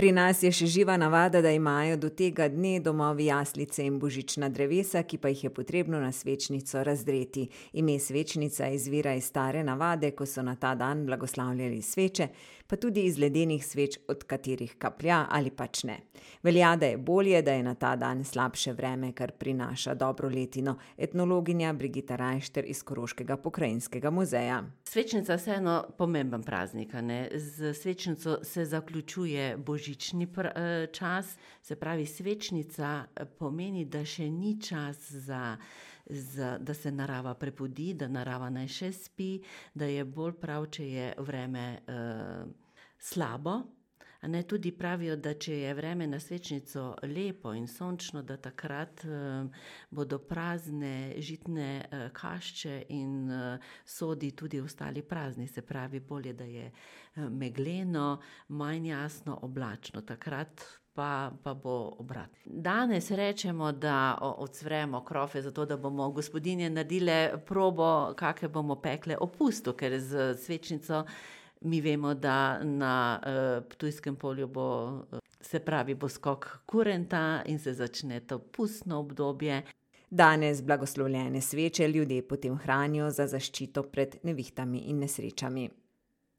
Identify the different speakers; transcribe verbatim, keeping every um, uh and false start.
Speaker 1: Pri nas je še živa navada, da imajo do tega dne domovi jaslice in božična drevesa, ki pa jih je potrebno na svečnico razdreti. Ime svečnica izvira iz stare navade, ko so na ta dan blagoslavljali sveče, pa tudi iz ledenih sveč, od katerih kaplja ali pač ne. Velja, da je bolje, da je na ta dan slabše vreme, kar prinaša dobro letino. Etnologinja Brigita Rajšter iz Koroškega pokrajinskega muzeja.
Speaker 2: Svečnica je vseeno pomemben praznik, a ne? Z svečnico se zaključuje božični pr- čas, se pravi, svečnica pomeni, da še ni čas za, za, da se narava prebudi, da narava naj še spi, da je bolj prav, če je vreme eh, slabo. A ne, tudi pravijo, da če je vreme na svečnico lepo in sončno, da takrat eh, bodo prazne žitne eh, kašče in eh, sodi tudi ostali prazni. Se pravi, bolje, da je eh, megleno, manj jasno, oblačno. Takrat pa, pa bo obrat. Danes rečemo, da odsvremo krofe, zato da bomo gospodinje naredile probo, kakve bomo pekle o pustu, ker z svečnico mi vemo, da na uh, Ptujskem polju bo, uh, se pravi, bo skok kurenta in se začne to pustno obdobje.
Speaker 1: Danes blagoslovljene sveče ljudje potem hranijo za zaščito pred nevihtami in nesrečami.